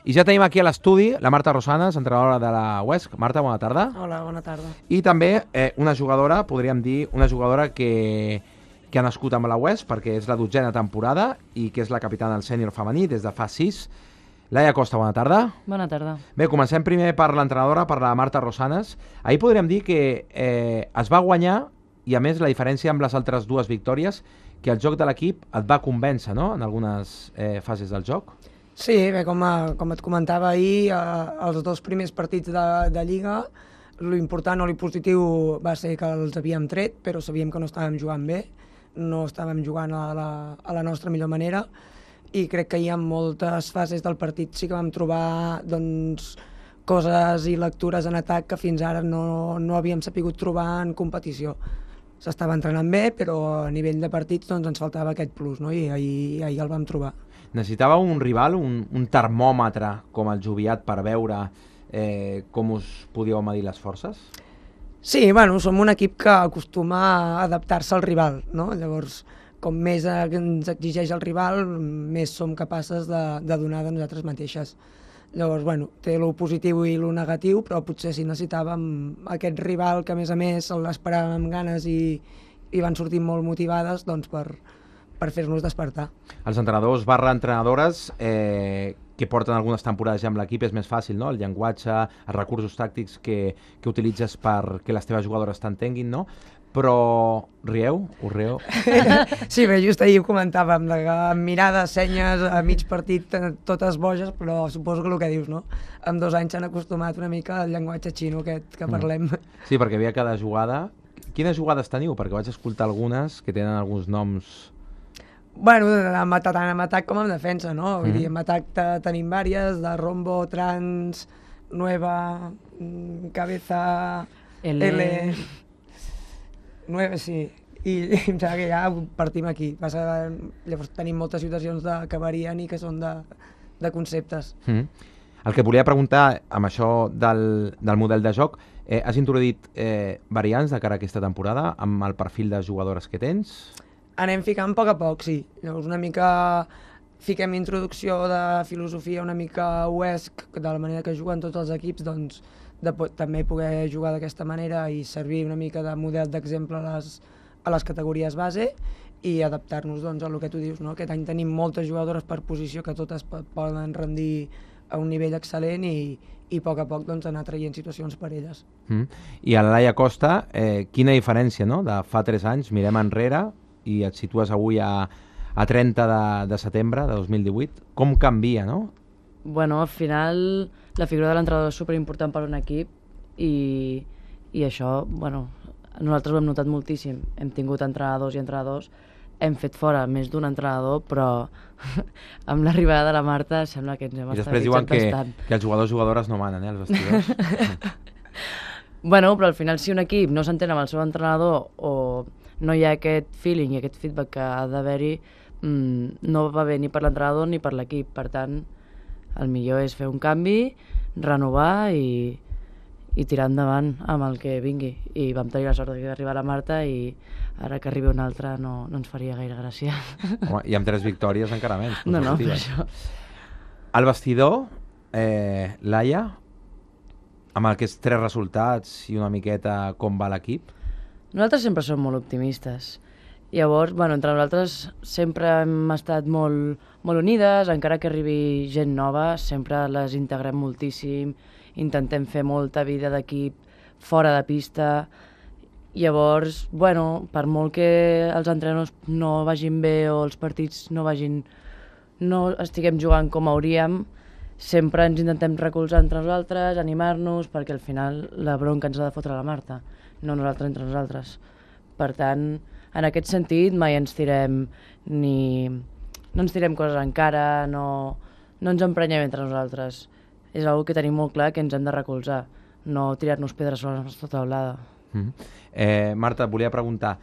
I ja tenim aquí a l'estudi la Marta Rosanes, entrenadora de la UESC. Marta, bona tarda. Hola, bona tarda. I també una jugadora, podríem dir, una jugadora que ha nascut amb la UESC perquè és la 12a temporada i que és la capitana del sènior femení des de fa 6. Laia Costa, bona tarda. Bona tarda. Bé, comencem primer per l'entrenadora, per la Marta Rosanes. Ahir podríem dir que es va guanyar i, a més, la diferència amb les altres dues victòries, que el joc de l'equip et va convèncer, no?, en algunes fases del joc. Sí, bé, com et comentava ahir, els dos primers partits de Lliga, l'important o l'impositiu va ser que els havíem tret, però sabíem que no estàvem jugant bé, no estàvem jugant a la nostra millor manera, i crec que hi ha moltes fases del partit sí que vam trobar doncs, coses i lectures en atac que fins ara no havíem sapigut trobar en competició. S'estava entrenant bé, però a nivell de partits doncs, ens faltava aquest plus, no? I ahir el vam trobar. Necessitava un rival, un termòmetre com el Joviat per veure com us podíeu medir les forces? Sí, bueno, som un equip que acostuma a adaptar-se al rival, no? Llavors, com més ens exigeix el rival, més som capaces de donar de nosaltres mateixes. Llavors, bueno, té lo positiu i lo negatiu, però potser si necessitàvem aquest rival que, a més, l'esperàvem amb ganes i van sortir molt motivades doncs, per fer-nos despertar. Els entrenadors / entrenadores que porten algunes temporades ja amb l'equip és més fàcil, no? El llenguatge, els recursos tàctics que utilitzes perquè les teves jugadores t'entenguin, no? Però rieu? Us rieu? Sí, bé, just ahir ho comentàvem, amb mirades, senyes, a mig partit, totes boges, però suposo que el que dius, no? Amb 2 anys s'han acostumat una mica al llenguatge xino aquest que parlem. Sí, perquè havia cada jugada. Quines jugades teniu? Perquè vaig escoltar algunes que tenen alguns noms... Bueno, tant en atac com en defensa, no? Vull dir, en atac tenim vàries, de rombo, trans, nueva, cabeza, L... 9, sí, i em sembla que ja partim aquí. Llavors tenim moltes situacions que varien i que són de conceptes. El que volia preguntar amb això del model de joc, has introduït variants de cara a aquesta temporada amb el perfil de jugadores que tens? Anem ficant a poc, sí. Llavors una mica fiquem introducció de filosofia una mica UESC, de la manera que juguen tots els equips, doncs també poder jugar d'aquesta manera i servir una mica de model d'exemple a les categories base i adaptar-nos doncs, a el que tu dius, no? Aquest any tenim moltes jugadores per posició que totes poden rendir a un nivell excel·lent i a poc doncs, anar traient situacions per elles. I a la Laia Costa, quina diferència, no?, de fa 3 anys, mirem enrere i et situes avui a 30 de setembre de 2018, com canvia, no? Bueno, al final la figura de l'entrenador és superimportant per un equip i això, bueno, nosaltres ho hem notat moltíssim. Hem tingut entrenadors i entrenadors, hem fet fora més d'un entrenador, però amb l'arribada de la Marta sembla que ens hem estabilitzat bastant. I després diuen que els jugadors i jugadores no manen, els vestidors. Bueno, però al final si un equip no s'entén amb el seu entrenador o no hi ha aquest feeling i aquest feedback que ha d'haver-hi, no va bé ni per l'entrenador ni per l'equip. Per tant, el millor és fer un canvi, renovar i tirar endavant amb el que vingui. I vam tenir la sort d'arribar la Marta i ara que arribi una altra no ens faria gaire gràcia. Home, i amb 3 victòries encara menys. No, per això. El vestidor, Laia, amb aquests 3 resultats i una miqueta com va l'equip? Nosaltres sempre som molt optimistes. Llavors, bueno, entre nosaltres sempre hem estat molt unides, encara que arribi gent nova, sempre les integrem moltíssim, intentem fer molta vida d'equip fora de pista. Llavors, bueno, per molt que els entrenadors no vagin bé o els partits no estiguem jugant com hauríem, sempre ens intentem recolzar entre nosaltres, animar-nos, perquè al final la bronca ens ha de fotre la Marta, no nosaltres entre nosaltres. Per tant, en aquest sentit mai ens tirem no ens tirem coses en cara, no ens emprenyem entre nosaltres. És una que tenim molt clar que ens hem de recolzar, no tirar-nos pedres sobre la nostra taulada. Marta, et volia preguntar,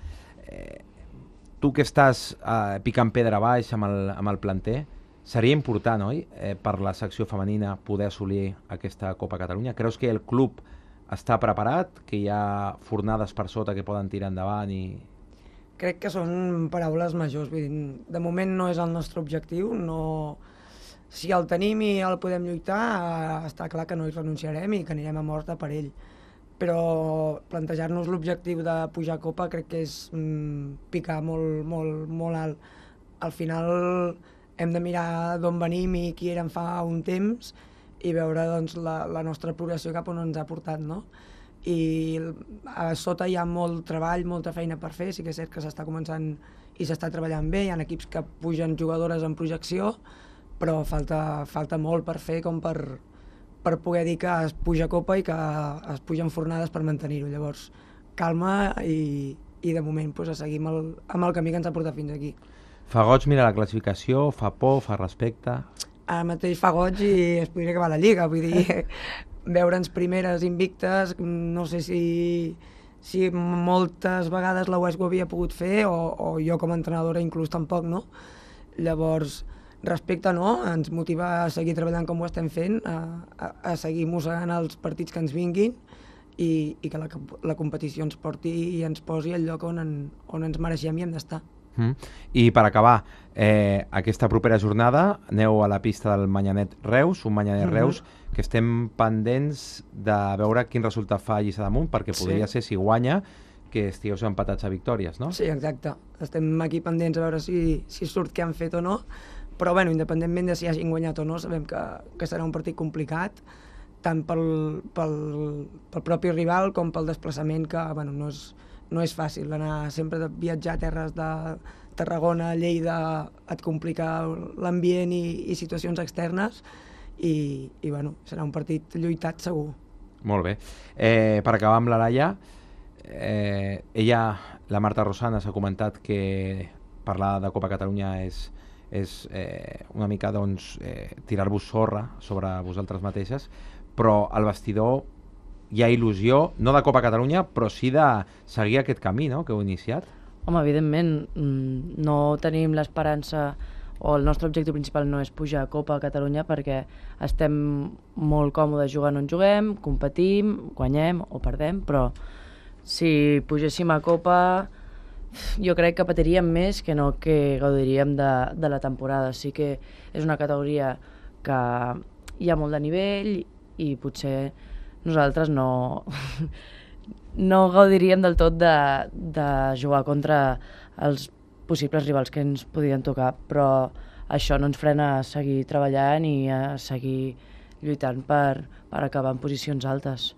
tu que estàs picant pedra baix amb el planter, seria important, oi, per la secció femenina poder assolir aquesta Copa Catalunya? Creus que el club està preparat, que hi ha fornades per sota que poden tirar endavant i... Crec que són paraules majors. De moment no és el nostre objectiu, si el tenim i el podem lluitar, està clar que no hi renunciarem i que anirem a mort per ell. Però plantejar-nos l'objectiu de pujar a Copa crec que és picar molt alt. Al final hem de mirar d'on venim i qui érem fa un temps i veure doncs, la nostra progressió cap on ens ha portat, no? I a sota hi ha molt treball, molta feina per fer, sí que és cert que s'està començant i s'està treballant bé, hi ha equips que pugen jugadores en projecció, però falta molt per fer com per poder dir que es puja a Copa i que es pugen fornades per mantenir-ho. Llavors, calma i de moment pues, a seguir amb el camí que ens ha portat fins aquí. Fa goig mirar la classificació, fa por, fa respecte... Ara mateix fa goig i es podria acabar la Lliga, vull dir, veure'ns primeres invictes, no sé si moltes vegades la UESC ho havia pogut fer o jo com a entrenadora inclús tampoc, no? Llavors, respecte no, ens motiva a seguir treballant com ho estem fent, a seguir mossegant els partits que ens vinguin i que la competició ens porti i ens posi al lloc on ens mereixem i hem d'estar. I per acabar, aquesta propera jornada aneu a la pista del Manyanet Reus, un Manyanet Reus que estem pendents de veure quin resultat fa Lliçà d'Amunt, perquè podria ser, si guanya, que estigueu empatats a victòries, no? Sí, exacte. Estem aquí pendents a veure si surt què han fet o no, però bueno, independentment de si hagin guanyat o no, sabem que serà un partit complicat, tant pel propi rival com pel desplaçament, que bueno, no és fàcil. Anar sempre de viatjar a terres de Tarragona, Lleida, et complica l'ambient i situacions externes i bueno, serà un partit lluitat segur. Molt bé. Per acabar amb la Laia, ella, la Marta Rosana, s'ha comentat que parlar de Copa Catalunya és una mica doncs, tirar-vos sorra sobre vosaltres mateixes, però al vestidor hi ha il·lusió, no de Copa Catalunya, però sí de seguir aquest camí, no?, que heu iniciat. Home, evidentment, no tenim l'esperança o el nostre objectiu principal no és pujar a Copa Catalunya perquè estem molt còmodes jugant on juguem, competim, guanyem o perdem, però si pugéssim a Copa jo crec que patiríem més que no que gaudiríem de la temporada. Sí que és una categoria que hi ha molt de nivell i potser nosaltres no gaudiríem del tot de jugar contra els possibles rivals que ens podien tocar, però això no ens frena a seguir treballant i a seguir lluitant per acabar en posicions altes.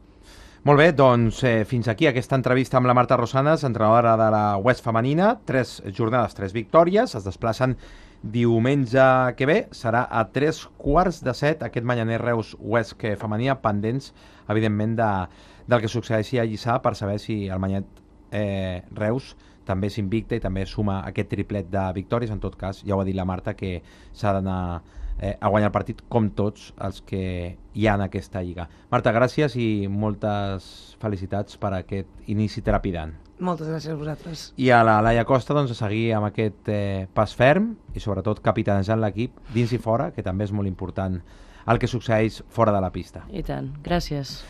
Molt bé, doncs fins aquí aquesta entrevista amb la Marta Rosanes, entrenadora de la UESC femenina. 3 jornades, 3 victòries, es desplacen diumenge que ve, serà a 6:45 aquest Manyanet Reus UESC femenina, pendents, evidentment, del que succeeixi a Lliçà per saber si el Manyanet Reus també s'invicta i també suma aquest triplet de victòries. En tot cas, ja ho ha dit la Marta, que s'ha d'anar a guanyar el partit com tots els que hi ha en aquesta lliga. Marta, gràcies i moltes felicitats per aquest inici trepidant. Moltes gràcies a vosaltres. I a la Laia Costa, doncs, a seguir amb aquest pas ferm i sobretot capitanejant l'equip dins i fora, que també és molt important el que succeeix fora de la pista. I tant, gràcies.